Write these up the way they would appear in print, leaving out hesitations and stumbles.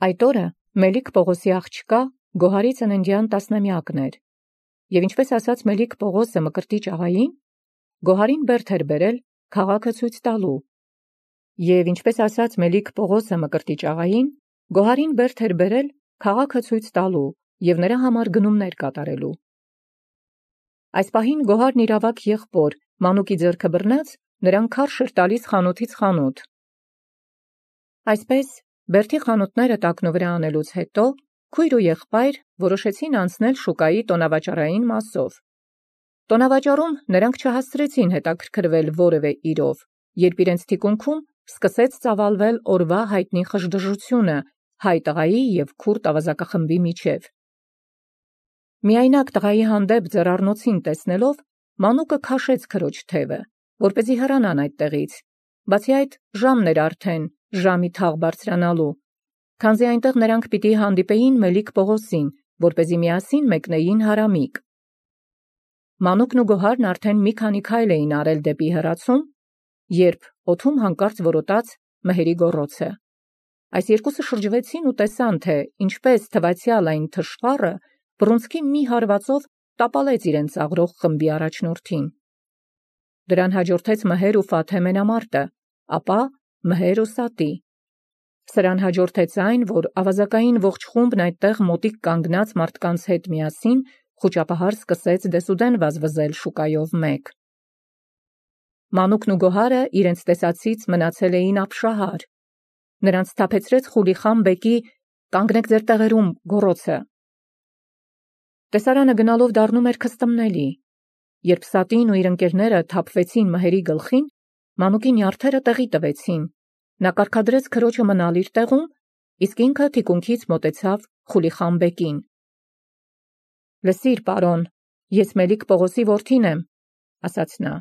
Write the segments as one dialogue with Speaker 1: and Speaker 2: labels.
Speaker 1: Այդ օրը Մելիք Պողոսի աղջկա Գոհարի ծննդյան 10-ամյակն էր, և ինչպես ասաց Մելիք Պողոսը Մկրտիչ աղային, Գոհարին բերդ էր բերել քաղաքը ցույց տալու, և ինչպես ասաց Մելիք Պողոսը Մկրտիչ աղային, Գոհարին բերդ էր բերել քաղաքը ցույց տալու և նրա համար գնումներ կատարելու։ Այս պահին Գոհարն իր ավագ եղբոր Մանուկի ձեռքը բռնած նրան քարշ էր տալիս խանութից խանութ։ Այսպես բերդի խանութները տակնուվրա անելուց հետո քույր ու եղբայր որոշեցին անցնել շուկայի տոնավաճառային մասով։ Տոնավաճառում նրանք չհասցրեցին հետաքրքրվել որևէ իրով, երբ իրենց թիկունքում սկսեց ծավալվել օրվա հայտնի խժդժությունը հայ տղայի և քուրդ ավազակախմբի միջև։ Միայնակ տղայի հանդեպ ձեռառնոցին տեսնելով Մանուկը քաշեց քրոջ թևը, որպեսզի հեռանան այդտեղից, բացի այդ ժամն էր արդեն ժամի թաղ բարձրանալու, քանզի այնտեղ նրանք պիտի հանդիպեին Մելիք Պողոսին, որպեսզի միասին մեկնեին հարամիկ։ Մանուկն ու Գոհարն արդեն մի քանի քայլ էին արել դեպի հեռացում, երբ օդում հանկարծ որոտաց մհերի գոռոցը։ Այս երկուսը շրջվեցին ու տեսան, թե ինչպես թվացյալ այն թշվառը բռունցքի մի հարվածով տապալեց իրենց աղրող խմբի առաջնորդին։ Դրան հաջորդեց Մհեր ու Ֆաթե մենամարտը, ապա Մհեր ու Սատի։ Սրան հաջորդեց այն, որ ավազակային ողջ խումբն այդտեղ մոտիկ կանգնած մարդկանց հետ միասին խուճապահար սկսեց դեսուդեն վազվզել շուկայով մեկ։ Մանուկն ու Գոհարը իրենց տեսածից մնացել էին ապշահար։ Նրանց սթափեցրեց Խուլիխան բեկի «Կանգնեք ձեր տեղերում» գոռոցը։ Տեսարանը գնալով դառնում էր քստմնելի։ Երբ Սատին ու իր ընկերները թափվեցին Մհերի գլխին, Մանուկի նյարդերը տեղի տվեցին։ Նա կարգադրեց քրոջը մնալ իր տեղում, իսկ ինքը թիկունքից մոտեցավ Խուլիխան բեկին։ «Լսիր, պարոն, ես Մելիք Պողոսի որդին եմ», ասաց նա։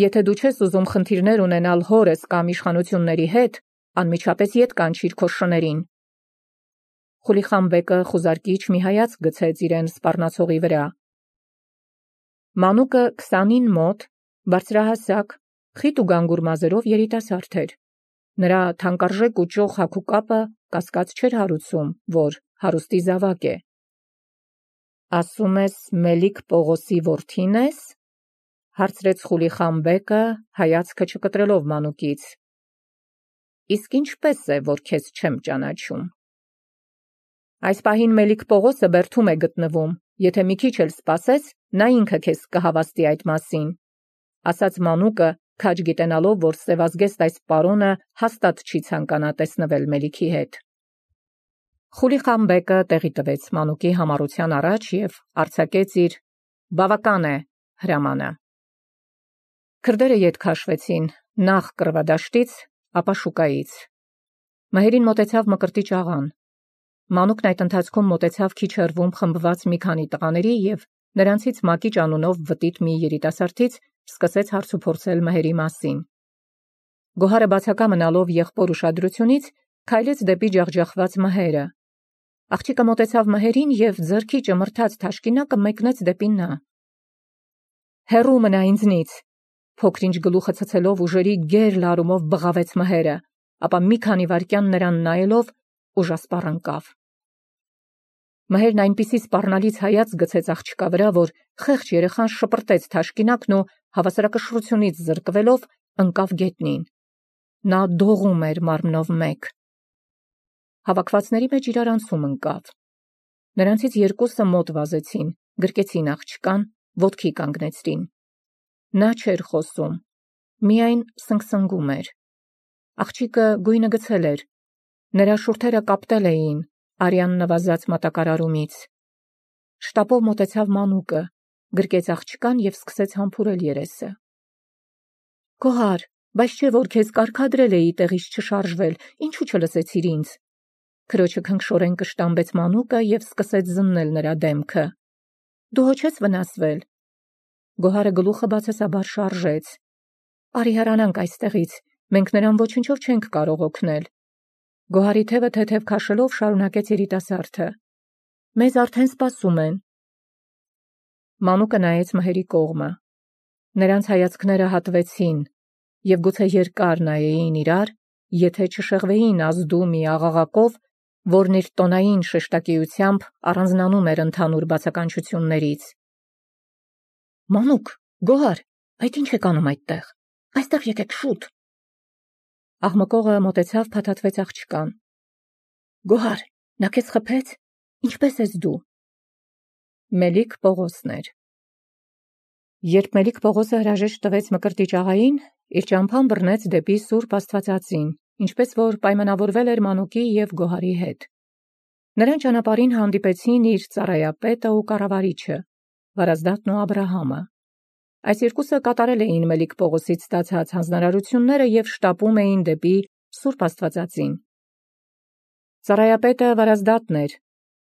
Speaker 1: «Եթե դու չես ուզում խնդիրներ ունենալ հորս կամ իշխանությունների հետ, անմիջապես ետ կանչիր քո շներին»։ Խուլիխան բեկը խուզարկիչ մի հայացք գցեց իրեն սպառնացողի վրա։ Մանուկը 20-ին մոտ, բարձրահասակ, խիտ ու գանգուր մազերով երիտասարդ էր։ Նրա թանկարժեք ու ճոխ հագուկապը կասկած չէր հարուցում, որ հարուստի զավակ է։ «Ասում ես Մելիք Պողոսի որդին ես», հարցրեց Խուլիխան բեկը, հայացքը չկտրելով Մանուկից։ «Իսկ ինչպես է, որ քեզ չեմ ճանաչում»։ «Այս պահին Մելիք Պողոսը բերդում է գտնվում, եթե մի քիչ էլ սպասես, նա ինքը քեզ կհավաստի այդ մասին», ասաց Մանուկը, քաջ գիտենալով, որ սևազգեստ այս պարոնը հաստատ չի ցանկանա տեսնվել Մելիքի հետ։ Խուլիխան բեկը տեղի տվեց Մանուկի համառության առաջ և արձակեց իր «բավական է» հրամանը։ Քրդերը ետ քաշվեցին, նախ կռվադաշտից, ապա շուկայից։ Մհերին մոտեցավ Մկրտիչ աղան։ Մանուկն այդ ընթացքում մոտեցավ քիչ հեռվում խմբված մի քանի տղաների և նրանցից Մակիճ անունով վտիտ մի երիտասարդից սկսեց հարցուփորձել Մհերի մասին։ Գոհարը բացակա մնալով եղբոր ուշադրությունից քայլեց դեպի ջախջախված Մհերը։ Աղջիկը մոտեցավ Մհերին և ձեռքի ճմրթած թաշկինակը մեկնեց դեպի նա։ «Հեռու մնա ինձնից», փոքր-ինչ գլուխը ցցելով ուժերի գեր լարումով բղավեց Մհերը, ապա մի քանի վայրկյան նրան նայելով ուժասպառ ընկավ։ Մհերն այնպիսի սպառնալից հայացք գցեց աղջկա վրա, որ խեղճ երեխան շպրտեց թաշկինակն ու հավասարակշռությունից զրկվելով ընկավ գետնին։ Նա դողում էր մարմնով մեկ։ Հավաքվածների մեջ իրարանցում ընկավ։ Նրանցից երկուսը մոտ վազեցին, գրկեցին աղջկան, ոտքի կանգնեցրին։ Նա չէր խոսում, միայն սնգսնգում էր։ Աղջիկը գույնը գցել էր, նրա շուրթերը կապտել էին արյան նվազած մատակարարումից։ Շտապով մոտեցավ Մանուկը, գրկեց աղջկան և սկսեց համբուրել երեսը։ «Գոհար, բայց չէ՞ որ քեզ կարգադրել էի տեղից չշարժվել, ինչու չլսեցիր ինձ»։ Քրոջը քնքշորեն կշտամբեց Մանուկը և սկսեց զննել նրա դեմքը։ «Դու հո չես վնասվել»։ Գոհարը գլուխը բացասաբար շարժեց։ «Արի հեռանանք այստեղից, մենք նրան ոչնչով չենք կարող օգնել»։ Գոհարի թևը թեթև քաշելով շարունակեց երիտասարդը։ «Մեզ արդեն սպասում են»։ Մանուկը նայեց Մհերի կողմը։ Նրանց հայացքները հատվեցին և գուցե երկար նայեին իրար, եթե չշեղվեին ազդու մի աղաղակով որն իր տոնային շեշտակիությամբ առանձնանում էր ընդհանուր բացականչություններից։ «Մանուկ, Գոհար, այդ ինչ եք անում այդտեղ։ Այստեղ եկեք շուտ»։ Աղմկողը մոտեցավ, փաթաթվեց աղջկան։ «Գոհար, նա քեզ խփեց։ Ինչպե՞ս ես դու»։ Մելիք Պողոսն էր։ Երբ Մելիք Պողոսը հրաժեշտ տվեց Մկրտիչ աղային, իր ճամփան բռնեց դեպի Սուրբ Աստվածածին, ինչպես որ պայմանավորվել էր Մանուկի և Գոհարի հետ։ Նրան ճանապարհին հանդիպեցին իր ծառայապետը ու կառավարիչը, Վարազդատն ու Աբրահամը։ Այս երկուսը կատարել էին Մելիք Պողոսից ստացած հանձնարարությունները և շտապում էին դեպի Սուրբ Աստվածածին։ Ծառայապետը Վարազդատն էր,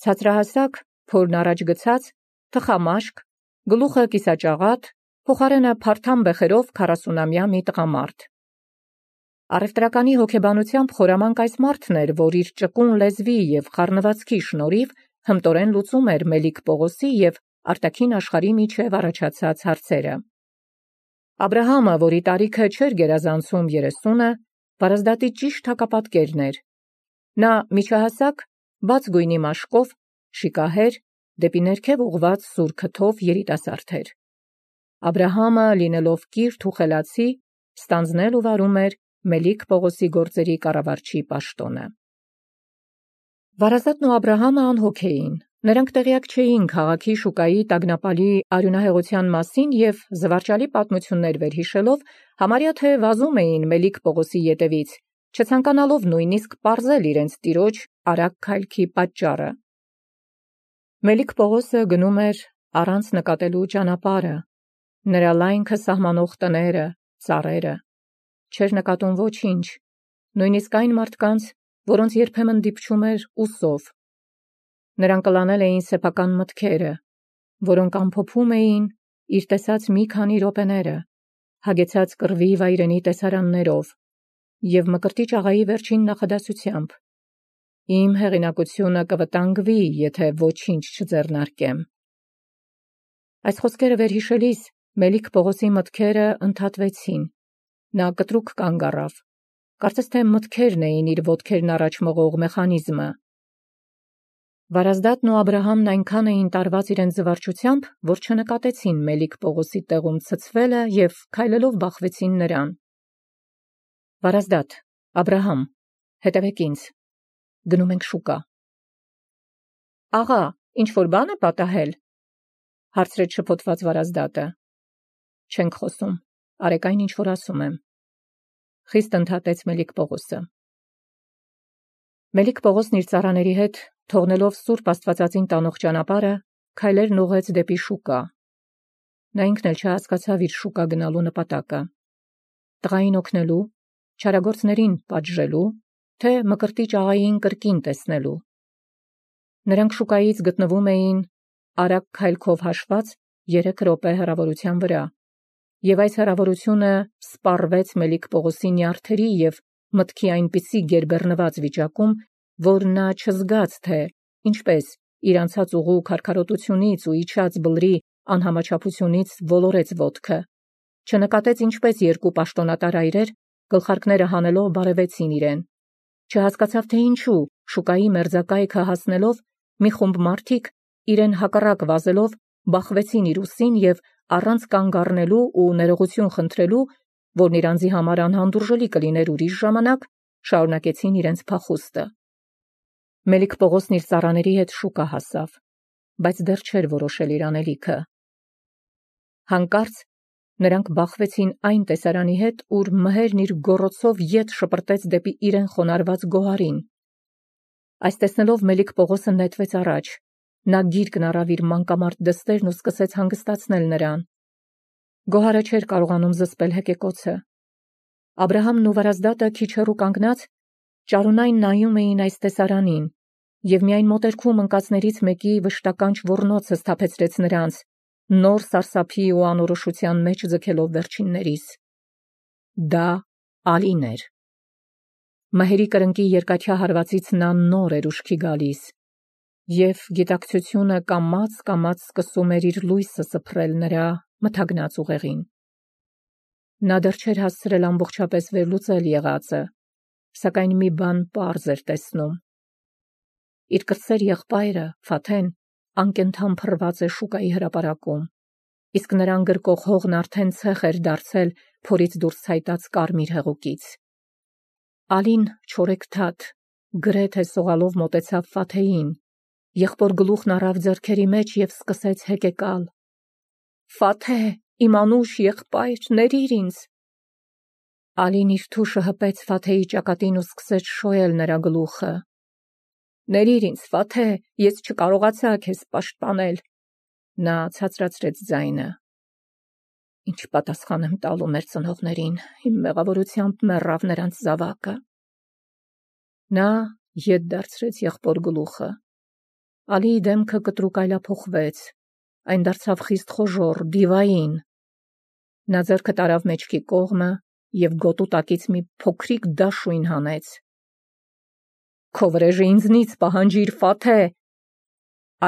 Speaker 1: ցածրահասակ, փորն առաջ գցած, թխամաշկ, գլուխը կիսաճաղատ, փոխարենը փարթամ բեխերով 40-ամյա մի տղամարդ։ Առևտրականի հոգեբանությամբ խորամանկ այս մարդն էր, որ իր ճկուն լեզվի և խառնվածքի շնորհիվ հմտորեն լուծում էր Մելիք Պողոսի և արտաքին աշխարհի միջև առաջացած հարցերը։ Աբրահամը, որի տարիքը չէր գերազանցում 30-ը, Վարազդատի ճիշտ հակապատկերն էր։ Նա միջահասակ, բաց գույնի մաշկով, շիկահեր, դեպի ներքև ուղղված սուր քթով երիտասարդ էր։ Աբրահամը, լինելով կիրթ ու խելացի, ստանձնել ու վարում էր Մելիք Պողոսի գործերի կառավարչի պաշտոնը։ Վարազդատն ու Աբրահամը անհոգ էին։ Նրանք տեղյակ չէին քաղաքի շուկայի տագնապալի արյունահեղության մասին և զվարճալի պատմություններ վերհիշելով համարյա թե վազում էին Մելիք Պողոսի ետևից, չցանկանալով նույնիսկ պարզել իրենց տիրոջ արագ քայլքի պատճառը։ Մելիք Պողոսը գնում էր առանց նկատելու ճանապարհը, նրա լայնքը սահմանող տները, ծառերը։ Չէր նկատում ոչինչ, նույնիսկ այն մարդկանց, որոնց երբեմն դիպչում էր ուսով։ Նրան կլանել էին սեփական մտքերը, որոնք ամփոփում էին իր տեսած մի քանի րոպեները, հագեցած կռվի վայրենի տեսարաններով և Մկրտիչ աղայի վերջին նախադասությամբ. «Իմ հեղինակությունը կվտանգվի, եթե ոչինչ չձեռնարկեմ»։ Այս խոսքերը վերհիշելիս Մելիք Պողոսի մտքերը ընդհատվեցին։ Նա կտրուկ կանգ առավ։ Կարծես թե մտքերն էին իր ոտքերն առաջ մղող մեխանիզմը։ Վարազդատն ու Աբրահամն այնքան էին տարված իրենց զվարճությամբ, որ չնկատեցին Մելիք Պողոսի տեղում ցցվելը և քայլելով բախվեցին նրան։ «Վարազդատ, Աբրահամ, հետևեք ինձ, գնում ենք շուկա»։ «Աղա, ինչ-որ բան է պատահել»։ հարցրեց շփոթված Վարազդատը։ «Չենք խոսում, արեք այն, ինչ որ ասում եմ», խիստ ընդհատեց Մելիք Պողոսը։ Մելիք Պողոսն իր ծառաների հետ, թողնելով Սուրբ Աստվածածին տանող ճանապարհը, քայլերն ուղղեց դեպի շուկա։ Նա ինքն էլ չհասկացավ իր շուկա գնալու նպատակը։ Տղային օգնելու, չարագործներին պատժելու, թե Մկրտիչ աղային կրկին տեսնելու։ Նրանք շուկայից գտնվում էին արագ քայլքով հաշված 3 րոպե հեռավորության վրա, և այս հեռավորությունը սպառվեց Մելիք Պողոսի նյարդերի և մտքի այնպիսի գերբեռնված վիճակում, որ նա չզգաց, թե ինչպես իր անցած ուղու քարքարոտությունից ու իջած բլրի անհամաչափությունից ոլորեց ոտքը, չնկատեց ինչպես երկու պաշտոնատար այրեր, գլխարկները հանելով բարևեցին իրեն, չհասկացավ, թե ինչու շուկայի մերձակայքը հասնելով մի խումբ մարդիկ իրեն հակառակ վազելով բախվեցին իր ուսին և առանց կանգ առնելու ու ներողություն խնդրելու, որն իր անձի համար անհանդուրժելի կլիներ ուրիշ ժամանակ, շարունակեցին իրենց փախուստը։ Մելիք Պողոսն իր ծառաների հետ շուկա հասավ, բայց դեռ չէր որոշել իր անելիքը։ Հանկարծ նրանք բախվեցին այն տեսարանի հետ, ուր մհերն իր գոռոցով ետ շպրտեց դեպի իրեն խոնարհված Գոհարին։ Այս տեսնելով Մելիք Պողոսը նետվեց առաջ։ Նա գիրկն առավ իր մանկամարդ դստերն ու սկսեց հանգստացնել նրան։ Գոհարը չէր կարողանում զսպել հեկեկոցը։ Աբրահամն ու Վարազդատը քիչ հեռու կանգնած ճարունայն նայում էին այս տեսարանին, և միայն մոտերքում ընկածներից մեկի վշտականչ ոռնոցը սթափեցրեց նրանց, նոր սարսափի ու անորոշության մեջ ձգելով վերջիններիս։ Դա Ալին էր։ Մհերի կրնկի երկաթյա հարվածից նա նոր էր ուշքի գալիս, և գիտակցությունը կամաց սկսում էր իր լույսը սփռել նրա մթագնած ուղեղին։ Նա դեռ չէր հասցրել ամբողջապես վերլուծել եղածը, սակայն մի բան պարզ էր տեսնում. իր կրտսեր եղբայրը Ֆաթեն անկենդան փռված է շուկայի հրապարակում, իսկ նրան գրկող հողն արդեն ցեխ էր դարձել փորից դուրս ցայտած կարմիր հեղուկից։ Ալին չորեքթաթ գրեթե սողալով մոտեցավ Ֆաթեին, եղբոր գլուխն առավ ձեռքերի մեջ և սկսեց հեկեկալ. «Ֆաթե, իմ անուշ եղբայր, ներիր ինձ»։ Ալին իր թուշը հպեց Ֆաթեի ճակատին ու սկսեց շոյել նրա գլուխը։ «Ներիր ինձ, Ֆաթե, ես չկարողացա քեզ պաշտպանել»։ Նա ցածրացրեց ձայնը։ «Ինչ պատասխան եմ տալու մեր ծնողներին, իմ մեղավորությամբ մեռավ նրանց զավակը»։ Նա ետ դարձրեց եղբոր գլուխը։ Ալիի դեմքը կտրուկ այլափոխվեց, այն դարձավ խիստ խոժոռ, դիվային։ Նա ձեռքը տարավ մեջքի կողմը և գոտու տակից մի փոքրիկ դաշույն հանեց։ «Քո վրեժը ինձնից պահանջիր, Ֆաթե»։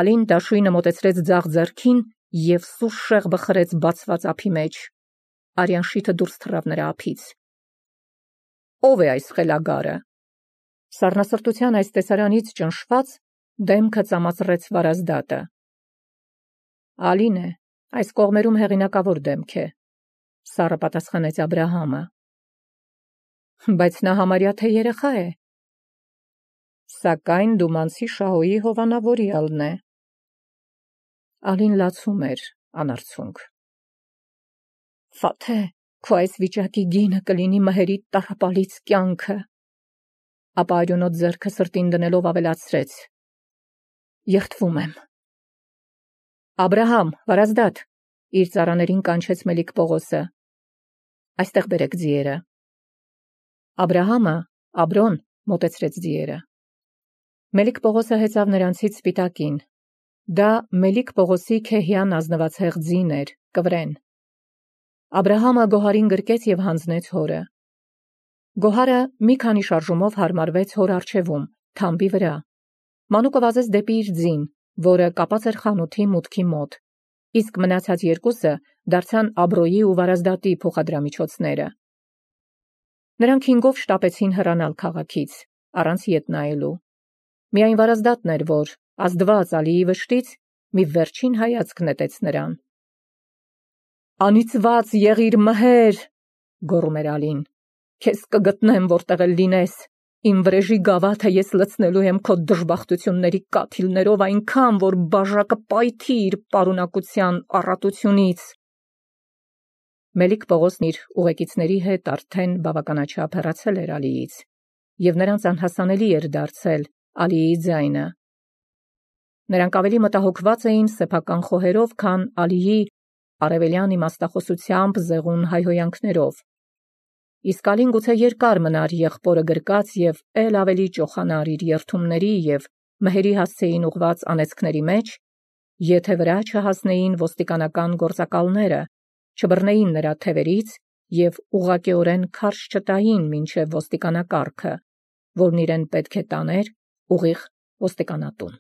Speaker 1: Ալին դաշույնը մոտեցրեց ձախ ձեռքին և սուր շեղբը խրեց բացված ափի մեջ։ Արյան շիթը դուրս թռավ նրա ափից։ «Ո՞վ է այս խելագարը»։ Սառնասրտության այս տեսարանից ճնշված դեմքը ծամացրեց Վարազդատը։ «Ալին է, այս կողմերում հեղինակավոր դեմք է», սառը պատասխանեց Աբրահամը։ «Բայց նա համարյա թե երեխա է»։ «Սակայն Դումանցի Շահոյի հովանավորյալն է»։ Ալին լացում էր անարցունք։ «Ֆաթե, քո այս վիճակի գինը կլինի մհերիդ տառապալից կյանքը»։ Ապա արյունոտ ձեռքը սրտին դնելով ավելացրեց. «Երդվում եմ»։ «Աբրահամ, Վարազդատ», իր ծառաներին կանչեց Մելիք Պողոսը։ «Այստեղ բերեք ձիերը»։ Աբրահամը, Աբրոն, մոտեցրեց ձիերը։ Մելիք Պողոսը հեծավ նրանցից սպիտակին։ Դա Մելիք Պողոսի Քեհյան ազնվացեղ ձին էր, կվրեն։ Աբրահամը Գոհարին գրկեց և հանձնեց հորը։ Գոհարը մի քանի շարժումով հարմարվեց հոր առջևում, թամբի վրա։ Մանուկը վազեց դեպի իր ձին, որը կապած էր խանութի մուտքի մոտ, իսկ մնացած երկուսը դարձան Աբրոյի ու Վարազդատի փոխադրամիջոցները։ Նրանք 5-ով շտապեցին հեռանալ քաղաքից, առանց ետ նայելու։ Միայն Վարազդատն էր, որ, ազդված Ալիի վշտից, մի վերջին հայացք նետեց նրան։ «Անիծված եղիր մհեր», գոռում էր Ալին, «քեզ կգտնեմ, որտեղ էլ լինես։ Իմ վրեժի գավաթը ես լցնելու եմ քո դժբախտությունների կաթիլներով այնքան, որ բաժակը պայթի իր պարունակության առատությունից»։ Մելիք Պողոսն իր ուղեկիցների հետ արդեն բավականաչափ հեռացել էր Ալիից, և նրանց անհասանելի էր դարձել Ալիի ձայնը։ Նրանք ավելի մտահոգված էին սեփական խոհերով, քան Ալիի արևելյան իմաստախոսությամբ զեղուն հայհոյանքներով։ Իսկ Ալին գուցե երկար մնար եղբորը գրկած և էլ ավելի ճոխանար իր երդումների և մհերի հասցեին ուղված անեծքների մեջ, եթե վրա չհասնեին ոստիկանական գործակալները, չբռնեին նրա թևերից և ուղղակիորեն քարշ չտային մինչև ոստիկանակարգը, որն իրեն պետք է տաներ ուղիղ ոստիկանատուն։